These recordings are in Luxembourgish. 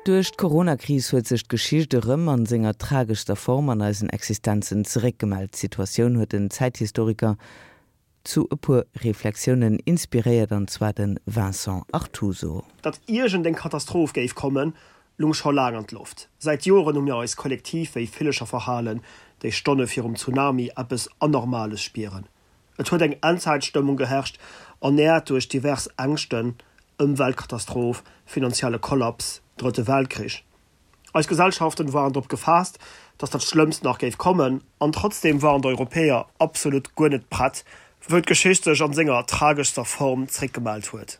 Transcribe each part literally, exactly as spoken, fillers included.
Duerch d'Coronakris huet sech d'Geschicht erëm an senger trageschster Form an eisen Existenzen zeréckgemellt. D'Situatioun huet den Zäithistoriker zu e puer Reflexiounen inspiréiert, an zwar de Vincent Artuso. Datt iergendeng Katastroph géif kommen, lung scho laang an d'Loft. Säit Joren hu mir eis kollektiv wéi Villecher verhalen, déi Stonne virum Tsunami eppes Anormales spieren. Et huet eng Endzäitstëmmung geherrscht, ernäert duerch divers Ängschten, Ëmweltkatastroph, finanzielle Kollaps, Drëtte Weltkrich. Eis Gesellschaften waren drop gefaasst, datt dat Schlëmmst nach géif kommen, an trotzdeem waren d'Europäer absolut guer net prett, wou d'Geschicht sech an senger trageschster Form zréckgemellt huet.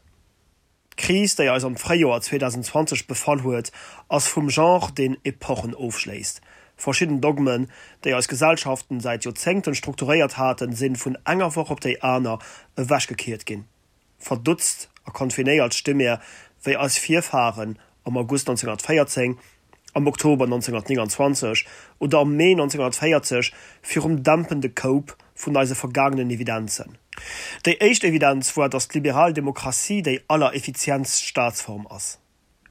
D'Kris, déi eis am Fréijoer zweedausendzwanzeg befall huet, ass vum Genre, deen Epochen ofschléisst. Verschidden Dogmen, déi eis Gesellschaften säit Joerzéngten strukturéiert haten, sinn vun enger Woch op déi aner ewechgekiert ginn. Verdutzt a confinéiert sti mir, wéi eis Virfaren am August nonzénghunnertvéierzéng, am Oktober nonzénghunnertnénganzwanzeg oder am Mee nonzénghunnertvéierzeg virum dämpende Koup vun eise vergaangenen Evidenzen. Déi éischt Evidenz war, datt d'liberal Demokratie déi allereffizientst Staatsform ass.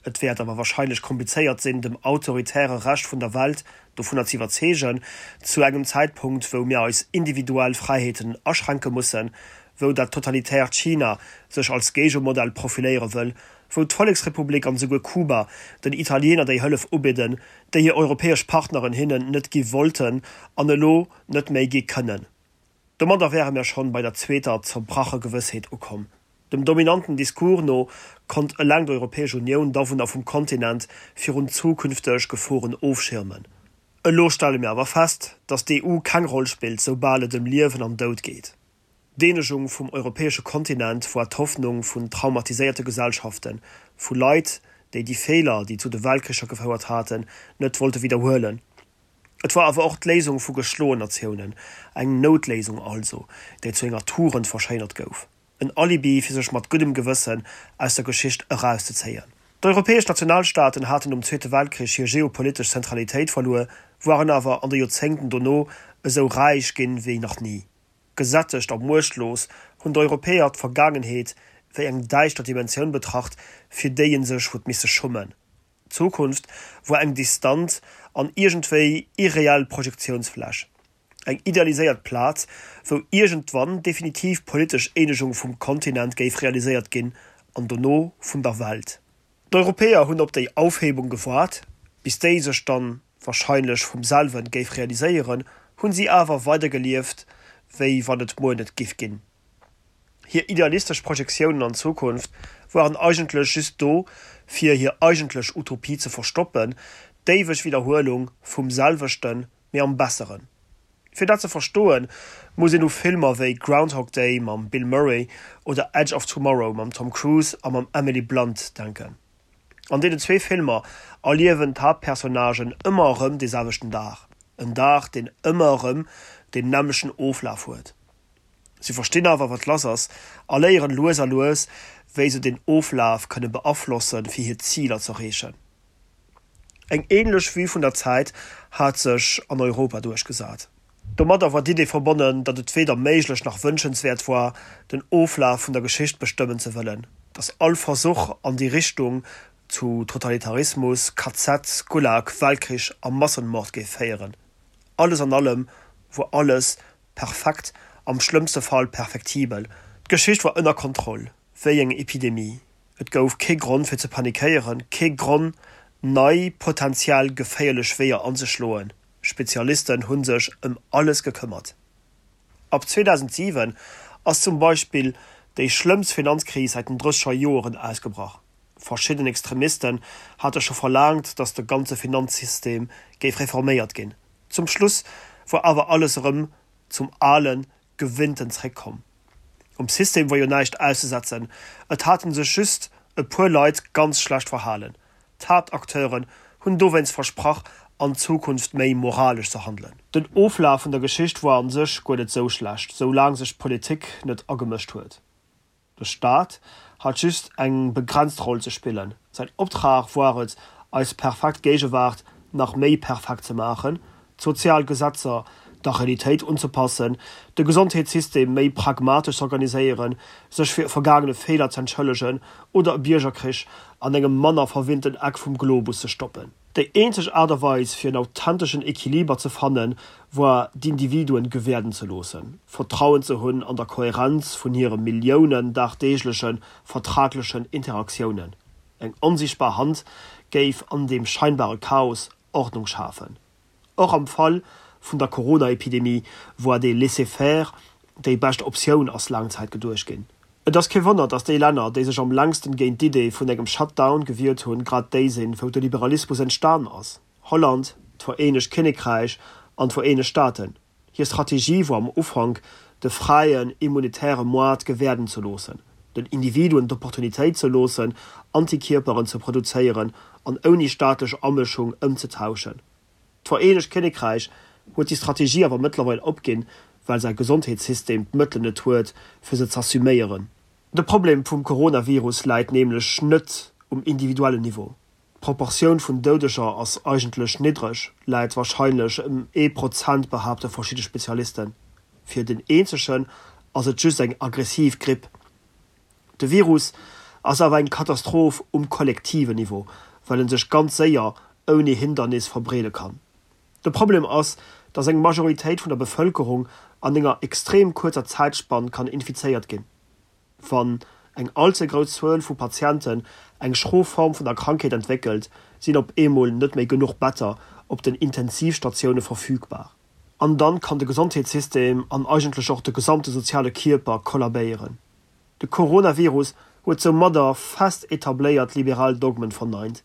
Et wäert awer warscheinlech komplizéiert sinn, dem autoritäre Rescht vun der Welt dovunner ze iwwerzeegen, zu engem Zäitpunkt, wou mir eis individuell Fräiheeten aschränke mussen, wou dat totalitäert China sech als Géigemodell profiléiere wëll, wou d'Volleksrepublik an esouguer Kuba den Italiener déi Hëllef ubidden, déi hir europäesch Partneren hinnen net gi wollten an elo net méi gi kënnen. Domadder wäre mir schonn bei der zweeter zerbrache Gewëssheet ukomm. Dem dominanten Discours no konnt eleng d'Europäesch Unioun d'Awunner vum Kontinent virun zukünfteg Geforen ofschirmen. Elo stelle mir awer fest, datt d'E U keng Roll spillt, soubal et ëm Liewen an Doud geet. D'Eenegung vum europäesche Kontinent war d'Hoffnung vun traumatiséierte Gesellschaften, vu Leit, déi déi Feeler, déi zu de Weltkricher gefouert haten, net wollte widderhuelen. Et war awer och d'Léisung vu geschloen Natiounen, eng Noutléisung also, déi zu enger Tugend verschéinert gouf, en Alibi fir sech mat guddem Gewëssen aus der Geschicht erauszezéien. D'europäesch Nationalstaaten haten nom Zweete Weltkrich hir geopolitesch Zentralitéit verluer, waren awer an de Joerzéngten dono esou räich ginn wéi nach ni. Gesättegt a muechtlos hunn d'Europäer d'Vergaangenheet wéi eng däischter Dimensioun betracht, fir déi ee sech huet misse schummen. D'Zukunft war eng distant an iergendwéi irreell Projektiounsfläch, eng idealiséiert Plaz, wou iergendwann definitiv politesch Eenegung vum Kontinent géif realiséiert ginn an dono vun der Welt. D'Europäer hunn op déi Aufhebung gewaart, bis déi sech dann wahrscheinlech vum selwen géif realiséieren, hunn si awer weider gelieft, wéi wann et muer net giff ginn. Hir idealistesch Projektiounen an d'Zukunft waren eigentlech just do, fir hir eigentlech Utopie ze verstoppen, d'éiweg Widderhuelung vum selwechten, mee am Besseren. Fir dat ze verstoen, muss een u Filmer wéi Groundhog Day mam Bill Murray oder Edge of Tomorrow mam Tom Cruise a mam Emily Blunt denken. An deenen zwee Filmer erliewen d'Haaptpersonnagen ëmmer erëm dee selwechten Dag, en Dag, deen ëmmer erëm deen nämmlechten Oflaf huet. Si verstinn awer, wat lass ass a léieren lues a lues, wéi se deen Oflaf kënne beaflossen, fir hir Ziler z'erreechen. Eng änlech Vue vun der Zäit hat sech an Europa duerchgesat. Domadder war d'Idee verbonnen, datt et weder méiglech nach wënschenswäert war, den Oflaf vun der Geschicht bestëmmen ze wëllen, datt all Versuch an déi Richtung zu Totalitarismus, K Z, Gulag, Weltkrich a Massenmord géif féieren. Alles an allem wor alles perfekt, am schlëmmste Fall perfektibel. D'Geschicht war ënner Kontroll, wéi eng Epidemie. Et gouf kee Grond fir ze panikéieren, kee Gronn nei potentiell geféierlech Weeër anzeschloen. Spezialisten hu sech ëm alles gekëmmert. Ab zweedausentsiwen ass zum Beispill déi schlëmmst Finanzkris säit den drësseger Joeren ausgebrach. Verschidden Extremisten hate scho verlaangt, datt de ganze Finanzsystem géif reforméiert ginn. Zum Schluss wor awer alles erëm zum alen, gewinnten zréckkomm. Um System wor jo näischt auszesetzen, et haten sech just e puer Leit ganz schlecht verhalen. D'Haaptacteuren hunn dowéinst versprach, an Zukunft méi moralesch ze handelen. Den Oflaf vun der Geschicht woar an sech guer net sou schlecht, sou laang sech d'Politik net agemëscht huet. De Staat hat just eng begrenzt Roll ze spillen. Säin Optrag woar et, eis perfekt Géigewaart nach méi perfekt ze maachen, d'sozial Gesetzer der Realitéit unzepassen, de Gesondheetssystem méi pragmatesch z'organiséieren, sech fir vergaangene Feeler z'entschëllegen oder e Biergerkrich an engem manner verwinnten Eck vum Globus ze stoppen. Déi eenzeg Aart a Weis fir en authenteschen Equiliber ze fannen, war d'Individuen gewäerden ze loossen, Vertrauen ze hunn an der Kohärenz vun hire Milliounen dagdeeglechen, vertraglechen Interaktiounen. Eng onsiichtbar Hand géif an deem scheinbare Chaos Ordnung schafen. Och am Fall vun der Corona-Epidemie war dee Laisser-faire déi bescht Optioun, ass laang Zäit geduecht ginn. Et ass kee Wonner, datt déi Länner, déi sech am längsten géint d'Idee vun engem Shutdown gewiert hunn, grad déi sinn, wou de Liberalismus entstan ass, Holland, d'Vereenegt Kinnekräich an d'Vereenegt Staaten. Hir Strategie wor am Ufank, de fräien, immunitäre Moart gewäerden ze loossen, den Individuen d'Opportunitéit ze loossen, Antikierperen ze produzéieren an ouni staatlech Amëschung ëmzetauschen. D'Vereenegt Kinnekräich huet déi Strategie awer mëttlerweil opginn, well säi Gesondheetssystem d'Mëttelen net huet, fir se z'assuméieren. De Problem vum Coronavirus läit nämlech net um individuellen Niveau. D'Proportioun vun Doudeger ass eigentlech niddreg, läit warscheinlech ëm ee Prozent, behaapte verschidde Spezialisten. Fir den Eenzegen ass et just eng aggressiv Gripp. De Virus ass awer eng Katastroph um kollektiven Niveau, well en sech ganz séier ouni Hindernis verbreede kann. De Problem ass, dass eng Majoritéit vun der Bevëlkerung an enger extrem kuerzer Zäitspann kann infizéiert ginn. Wann eng all ze grouss Zuel vu Patienten eng schro Form vun der Krankheet entwéckelt, sinn op eemol net méi genuch Better op den Intensivstatioune verfügbar. An dann kann de Gesondheetssystem an eigentlech och de gesamte soziale Kierper kollabéieren. De Coronavirus huet soumadder fest etabléiert liberal Dogmen verneint.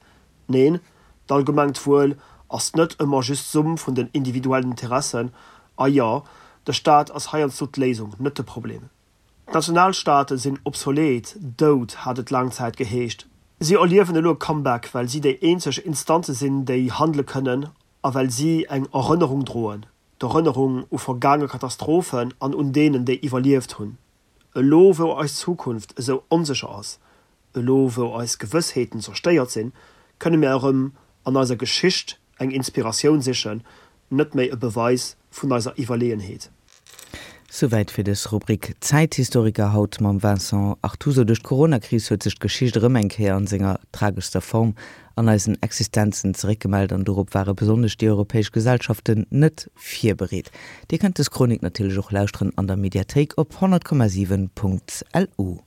Neen, d'allgemengt Wuel ass net ëmmer just d'Summ vun den individuellen Interessen. A jo, de Staat ass heiansdo d'Léisung, net de Problem. D'Nationalstaate sinn obsolet, dout, hat et laang Zäit geheescht. Si erliewen elo e Comeback, well si déi eenzeg Instanze sinn, déi handele kënnen a well si eng Erënnerung droen, d'Erënnerung u vergaange Katastrophen an un deenen, déi iwwerlieft hunn. Elo wou eis Zukunft esou onsécher ass, elo wou eis Gewëssheeten zerstéiert sinn, kënne mir erëm an eiser Geschicht eng Inspiratioun sichen, net méi e Beweis vun eiser Iwwerleeënheet. Souwäit fir dës Rubrik Zäithistoriker haut mam Vincent Artuso. Duerch d'Coronakris huet sech d'Geschicht erëm eng Kéier an senger trageschster Form an eisen Existenzen zeréckgemellt an dorop ware besonnesch déi europäesch Gesellschaften net virbereet. Dir kënnt dës Chronik natierlech och lauschteren an der Mediathéik op honnert Komma siwen Punkt LU.